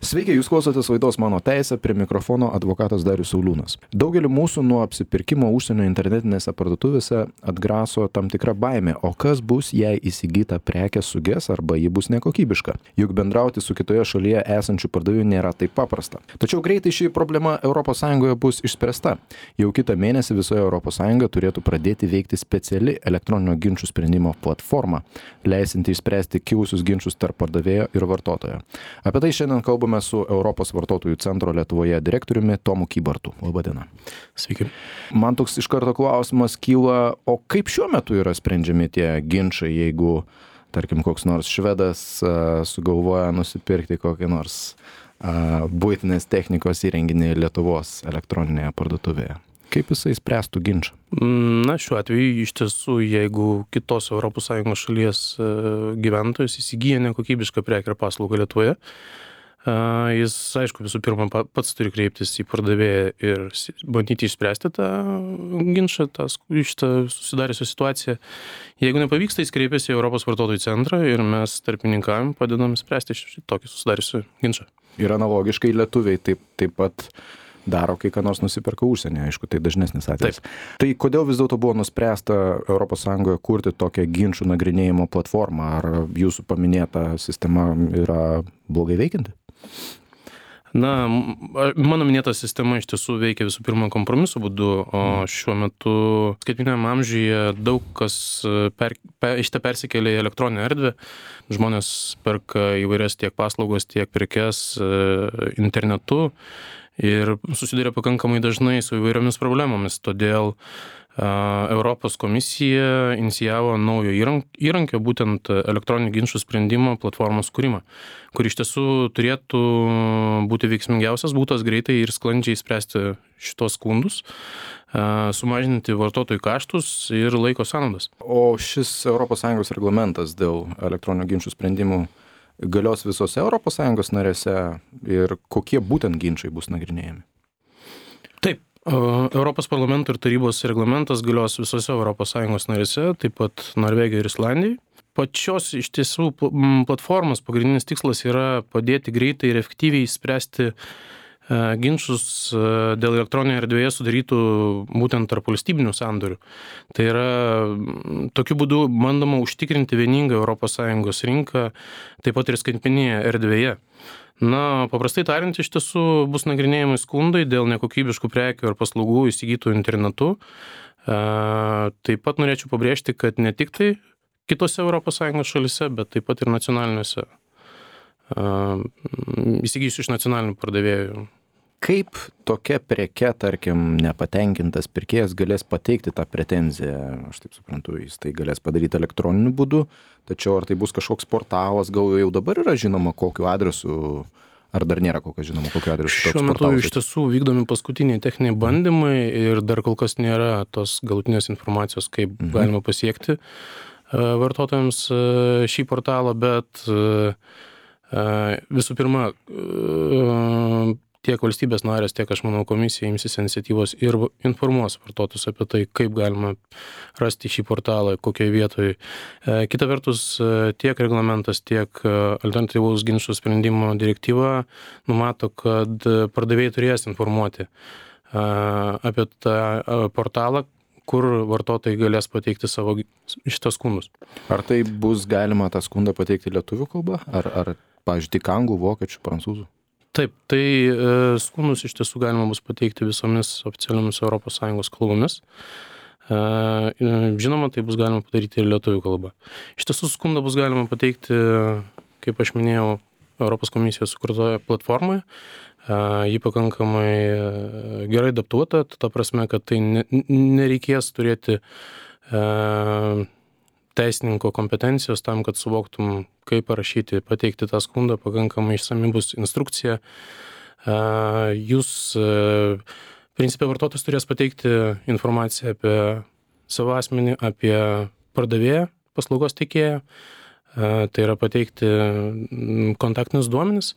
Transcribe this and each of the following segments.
Sveiki, jūs klausotės laidos Mano teisė, prie mikrofono advokatas Darius Sauliūnas. Daugelį mūsų nuo apsipirkimo užsienio internetinėse parduotuvėse atgraso tam tikra baimė, o kas bus, jei įsigyta prekė suges arba ji bus nekokybiška. Juk bendrauti su kitoje šalyje esančių pardavėjų nėra taip paprasta. Tačiau greitai ši problema ES bus išspręsta. Jau kitą mėnesį visoje ES turėtų pradėti veikti speciali elektroninio ginčų sprendimo platforma, leisinti išspręsti kilusius ginčus tarp pardavėjo ir vartotojo. Apie tai šiandien kalbame su Europos vartotojų centro Lietuvoje direktoriumi Tomu Kybartu. Labadiena. Sveiki. Man toks iš karto klausimas kyla, o kaip šiuo metu yra sprendžiami tie ginčai, jeigu, tarkim, koks nors švedas sugalvoja nusipirkti kokį nors buitinės technikos įrenginį Lietuvos elektroninėje parduotuvėje? Kaip jisai spręstų ginčą? Na, šiuo atveju iš tiesų, jeigu kitos ES šalies gyventojas įsigyja nekokybišką prekę ir paslaugą Lietuvoje, jis, aišku, visų pirma pats turi kreiptis į pardavėją ir bandyti išspręsti tą ginčą, šitą susidariusią situaciją. Jeigu nepavyksta, jis kreipiasi į Europos vartotojų centrą ir mes tarpininkavim padedam spręsti tokį susidariusią ginčą. Ir analogiškai lietuviai taip pat daro, kai ką nors nusiperka užsienį, aišku, tai dažnesnis atvejis. Tai kodėl vis dėlto buvo nuspręsta ES kurti tokią ginčų nagrinėjimo platformą? Ar jūsų paminėta sistema yra blogai veikianti? Na, mano minėta sistema iš tiesų veikia visų pirma kompromiso būdu, o šiuo metu skaitmeniniam amžiuje daug kas persikėlė į elektroninę erdvę. Žmonės perka įvairias tiek paslaugos, tiek prekes internetu ir susiduria pakankamai dažnai su įvairiomis problemomis. Todėl Europos komisija inicijavo naujo įrankio, būtent elektroninių ginčų sprendimo platformos kūrimą, kur iš tiesų turėtų būti veiksmingiausias būdas greitai ir sklandžiai spręsti šitos skundus, sumažinti vartotojų kaštus ir laiko sąnaudas. O šis ES reglamentas dėl elektroninių ginčų sprendimų galios visose ES narėse ir kokie būtent ginčai bus nagrinėjami? Taip. Europos parlamento ir tarybos reglamentas galios visose ES narėse, taip pat Norvegijoje ir Islandijoje. Pačios iš tiesų platformos pagrindinis tikslas yra padėti greitai ir efektyviai spręsti ginčus dėl elektroninėje erdvėje sudarytų būtent tarp valstybinių sandorių. Tai yra, tokiu būdu bandoma užtikrinti vieningą ES rinką, taip pat ir skaitmeninėje erdvėje. Na, paprastai tariant, iš tiesų bus nagrinėjami skundai dėl nekokybiškų prekių ar paslaugų įsigytų internetu. Taip pat norėčiau pabrėžti, kad ne tik tai kitose ES šalise, bet taip pat ir nacionaliniuose, įsigysiu iš nacionalinių pardavėjų. Kaip tokia preke, tarkim, nepatenkintas pirkėjas galės pateikti tą pretenziją? Aš taip suprantu, jis tai galės padaryti elektroniniu būdu, tačiau ar tai bus kažkoks portalas, gal jau dabar yra žinoma kokiu adresu, ar dar nėra žinoma kokiu adresu toks portalas? Šiuo metu iš tiesų vykdomi paskutiniai techniniai bandymai ir dar kol kas nėra tos galutinės informacijos, kaip galima pasiekti vartotojams šį portalą, bet visų pirma, tiek valstybės narės, tiek, aš manau, komisija imsis iniciatyvos ir informuos vartotojus apie tai, kaip galima rasti šį portalą, kokioje vietoje. Kita vertus, tiek reglamentas, tiek alternatyvaus ginčų sprendimo direktyva numato, kad pardavėjai turės informuoti apie tą portalą, kur vartotojai galės pateikti savo šitas skundus. Ar tai bus galima tą skundą pateikti lietuvių kalba? Ar pavyzdžiui, tik anglų, vokiečių, prancūzų? Taip, tai skundus iš tiesų galima bus pateikti visomis oficialiomis ES kalbomis. Žinoma, tai bus galima padaryti ir lietuvių kalba. Iš tiesų skundą bus galima pateikti, kaip aš minėjau, Europos komisijos sukurtoje platformoje. Ji pakankamai gerai adaptuota, ta prasme, kad tai nereikės turėti teisininko kompetencijos tam, kad suvoktum, kaip parašyti, pateikti tą skundą, pakankamai išsami bus instrukcija. Jūs, principe, vartotojas turės pateikti informaciją apie savo asmenį, apie pardavėją, paslaugos teikėją, tai yra pateikti kontaktinius duomenis,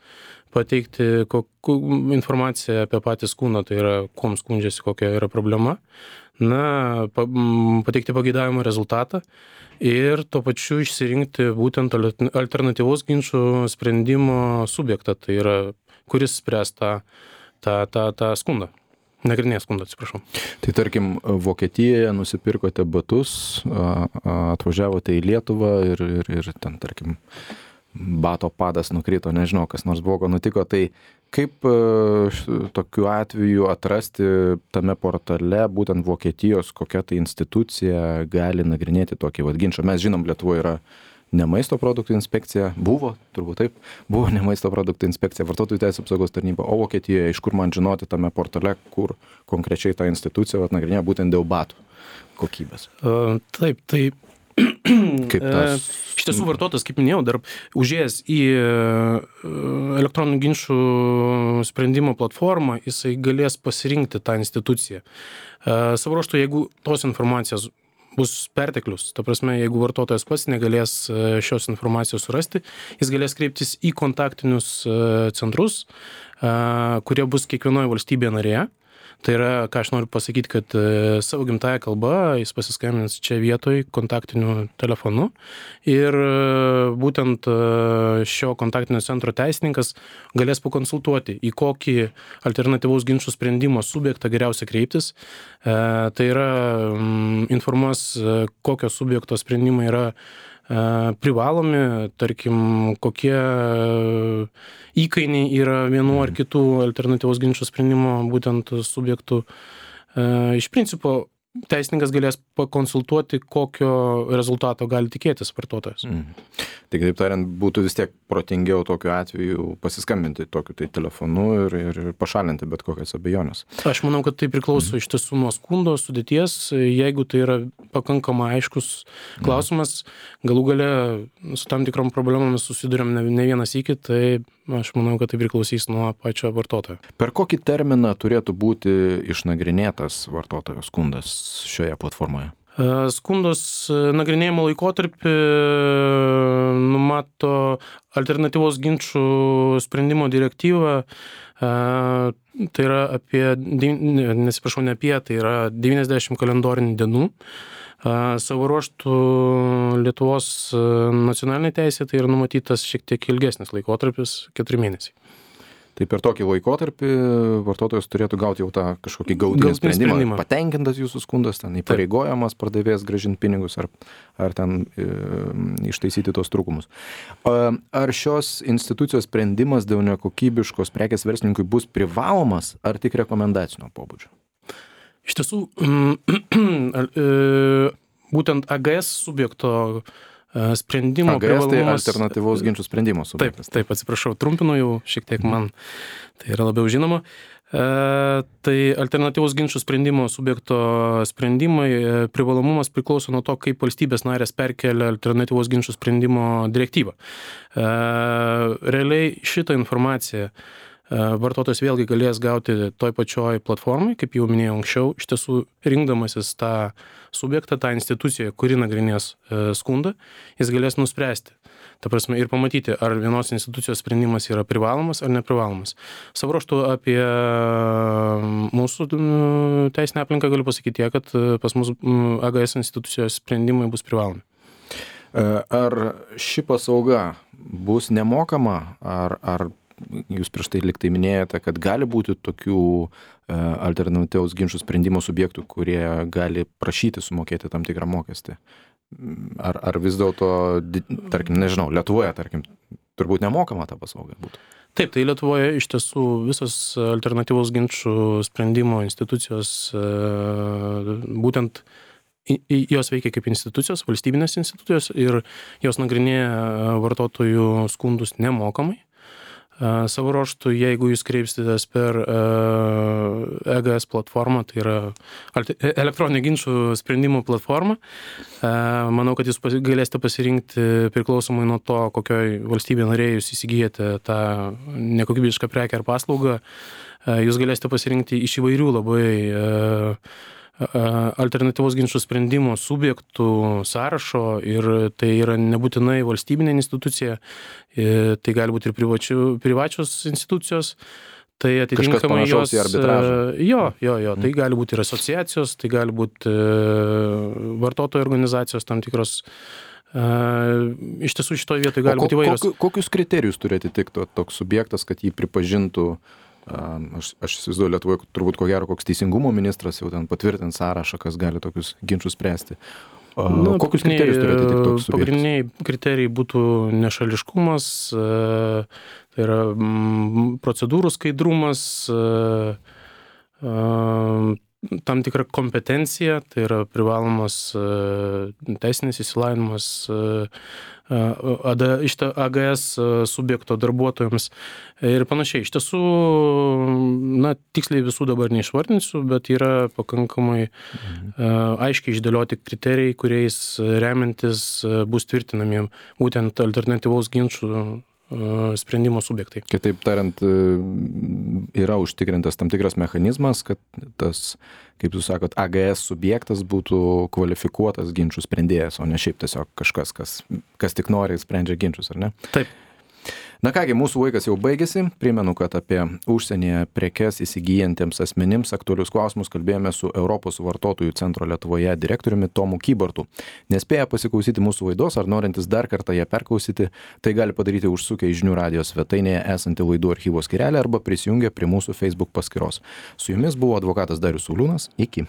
pateikti informaciją apie patį skundą, tai yra, kuom skundžiasi, kokia yra problema, pateikti pageidavimo rezultatą ir tuo pačiu išsirinkti būtent alternatyvaus ginčų sprendimo subjektą, tai yra kuris spręs tą skundą. Nagrinės skundą, atsiprašau. Tai tarkim, Vokietijoje nusipirkote batus, atvažiavote į Lietuvą ir ten, tarkim, bato padas nukrito, nežinau, kas nors blogo nutiko, tai kaip tokiu atveju atrasti tame portale būtent Vokietijos, kokia tai institucija gali nagrinėti tokį ginčą? Mes žinom, Lietuvoje yra ne maisto produktų inspekcija, buvo, turbūt taip, buvo ne maisto produktų inspekcija, vartotojų teisės apsaugos tarnyba, o Vokietijoje, iš kur man žinoti tame portale, kur konkrečiai ta institucija nagrinėja būtent dėl batų kokybės? Taip, tai kaip tas... Iš tiesų vartotojas, kaip minėjau, dar užėjęs į elektroninių ginčų sprendimo platformą, jisai galės pasirinkti tą instituciją. Savo ruožtu, jeigu tos informacijos bus perteklius, ta prasme, jeigu vartotojas pats negalės šios informacijos surasti, jis galės kreiptis į kontaktinius centrus, kurie bus kiekvienoje valstybėje narėje. Tai yra, ką aš noriu pasakyti, kad savo gimtąją kalbą jis pasiskambins čia vietoj kontaktiniu telefonu ir būtent šio kontaktinio centro teisininkas galės pakonsultuoti, į kokį alternatyvaus ginčų sprendimo subjektą geriausia kreiptis. Tai yra, informuos, kokio subjekto sprendimai yra privalomi, tarkim, kokie įkainiai yra vienų ar kitų alternatyvos ginčų sprendimo būtent subjektų. Iš principo, teisininkas galės pakonsultuoti, kokio rezultato gali tikėtis vartotojas. Tai kitaip tariant, būtų vis tiek protingiau tokiu atveju pasiskambinti tokiu tai telefonu ir pašalinti bet kokias abejonės. Aš manau, kad tai priklauso iš tiesų nuo skundo sudėties. Jeigu tai yra pakankamai aiškus klausimas, galų gale su tam tikrom problemomis susiduriam ne vienas iki, tai aš manau, kad tai priklausys nuo pačio vartotojo. Per kokį terminą turėtų būti išnagrinėtas vartotojo skundas šioje platformoje? Skundos nagrinėjimo laikotarpį numato alternatyvos ginčų sprendimo direktyva. Tai yra tai yra 90 kalendorinių dienų. Savo ruožtų Lietuvos nacionalinė teisė tai yra numatytas šiek tiek ilgesnis laikotarpis, 4 mėnesiai. Tai per tokį laikotarpį vartotojas turėtų gauti jau tą kažkokį galutinį sprendimą. Patenkintas jūsų skundas, ten įpareigojamas pardavėjas grąžinti pinigus ar ten ištaisyti tos trūkumus. Ar šios institucijos sprendimas dėl nekokybiškos prekės verslininkui bus privalomas ar tik rekomendacinio pobūdžio? Iš tiesų, būtent AGS subjekto sprendimo privalumas... AGS tai alternatyvaus ginčų sprendimo subjektas. Taip, atsiprašau, trumpinu jau šiek tiek man, tai yra labiau žinoma. Tai alternatyvaus ginčų sprendimo subjekto sprendimai privalomumas priklauso nuo to, kaip valstybės narės perkelia alternatyvaus ginčų sprendimo direktyvą. Realiai šitą informaciją vartotojas vėlgi galės gauti toj pačioj platformai, kaip jau minėjau anksčiau, iš tiesų rinkdamasis tą subjektą, tą instituciją, kuri nagrinės skundą, jis galės nuspręsti. Ta prasme, ir pamatyti, ar vienos institucijos sprendimas yra privalomas ar neprivalomas. Savo ruožtu apie mūsų teisinę aplinką galiu pasakyti tiek, kad pas mus AGS institucijos sprendimai bus privalomi. Ar ši paslauga bus nemokama, ar jūs prieš tai liktai minėjote, kad gali būti tokių alternatyvaus ginčų sprendimo subjektų, kurie gali prašyti sumokėti tam tikrą mokestį? Ar vis dėlto, tarkim, nežinau, Lietuvoje, tarkim, turbūt nemokama ta paslauga būtų? Taip, tai Lietuvoje iš tiesų visos alternatyvaus ginčų sprendimo institucijos, būtent jos veikia kaip institucijos, valstybinės institucijos ir jos nagrinėja vartotojų skundus nemokamai. Savo ruožtu, jeigu jūs kreipsitės per EGS platformą, tai yra elektroninio ginčų sprendimų platforma, manau, kad jūs galėsite pasirinkti priklausomai nuo to, kokioj valstybėje narėje jūs įsigijate tą nekokybišką prekę ar paslaugą, jūs galėsite pasirinkti iš įvairių labai alternatyvos ginčų sprendimo subjektų sąrašo ir tai yra nebūtinai valstybinė institucija, tai gali būti ir privačios institucijos, tai atitinkamai jos... Jo, tai gali būti ir asociacijos, tai gali būti vartotojų organizacijos tam tikros Iš tiesų šitoje vietoje gali būti įvairios. Kokius kriterijus turi atitikti toks subjektas, kad jį pripažintų, aš įsivaizduoju, Lietuvoje turbūt ko gero koks teisingumo ministras jau ten patvirtint sąrašą, kas gali tokius ginčius spręsti. Kokius kriterijus turi atitikti toks subjektas? Pagrindiniai kriterijai būtų nešališkumas, tai yra procedūrų skaidrumas, tam tikra kompetencija, tai yra privalomas teisinis įsilavinimas AGS subjekto darbuotojams ir panašiai. Iš tiesų, tiksliai visų dabar neišvardinsiu, bet yra pakankamai aiškiai išdėlioti kriterijai, kuriais remiantis bus tvirtinami būtent alternatyvaus ginčų sprendimo subjektai. Kitaip tariant, yra užtikrintas tam tikras mechanizmas, kad tas, kaip jūs sakot, AGS subjektas būtų kvalifikuotas ginčių sprendėjas, o ne šiaip tiesiog kažkas, kas tik nori sprendžia ginčius, ar ne? Taip. Na kągi, mūsų laikas jau baigėsi. Primenu, kad apie užsienyje prekes įsigyjantiems asmenims aktualius klausimus kalbėjome su Europos vartotojų centro Lietuvoje direktoriumi Tomu Kybartu. Nespėję pasiklausyti mūsų laidos ar norintis dar kartą ją perklausyti, tai gali padaryti užsukę į Žinių radijo svetainėje esantį laidų archyvo skyrelį arba prisijungę prie mūsų Facebook paskyros. Su jumis buvo advokatas Darius Sauliūnas. Iki.